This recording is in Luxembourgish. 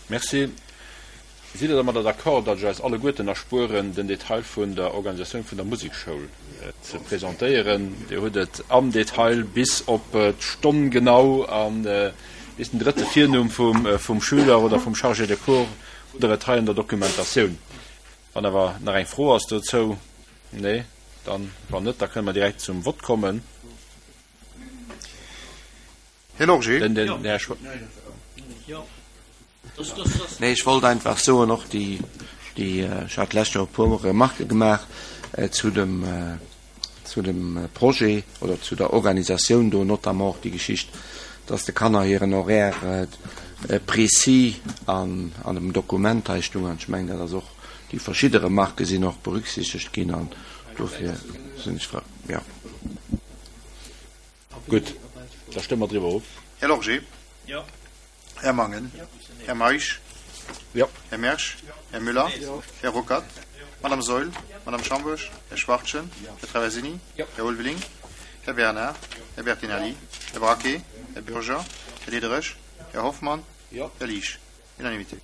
Merci. Sidd Der dermadder d'accord, datt ech eis alleguerten erspueren, den Detail vun der Organisatioun vun der Musekschoul ze presentéieren? Dir hutt et am Detail bis op d'Stonn genau a bis den drëtte Virnumm vum Schüler oder vum Chargé de cours hutt Der et hei an der Dokumentatioun. Wann awer nach eng Fro ass dozou? Nee? Dann, wann net, da kënne mer direkt zum Vott kommen. Här Lorgé. Den, den Här Schwa. Nee, ech wollt einfach soen, och déi, déi, ech hat d'lescht Joer e puer Remarquë gemaach zu dem, zu dem Projet oder zu der Organisatioun do, notamment och déi Geschicht, dass de Kanner hiren Horaire précis an, an dem Dokument hei stung. An ech mengen, dat ass och, déi verschidde Remarquë sinn och berücksichtegt ginn an dofir sinn ech frou, jo. Gutt, da stëmme mer driwwer of. Här Lorgé. Jo. Här Mangen. Här Meisch. Jo. Här Mersch. Här Müller. Här Ruckert. Madame Saeul. Madame Schambourg. Här Schwachtgen. Här Traversini. Här Ulveling. Här Bernard. Här Bertinelli. Här Braquet. Här Bürger. Här Diderich. Här Hoffmann. Här Liesch. Unanimité.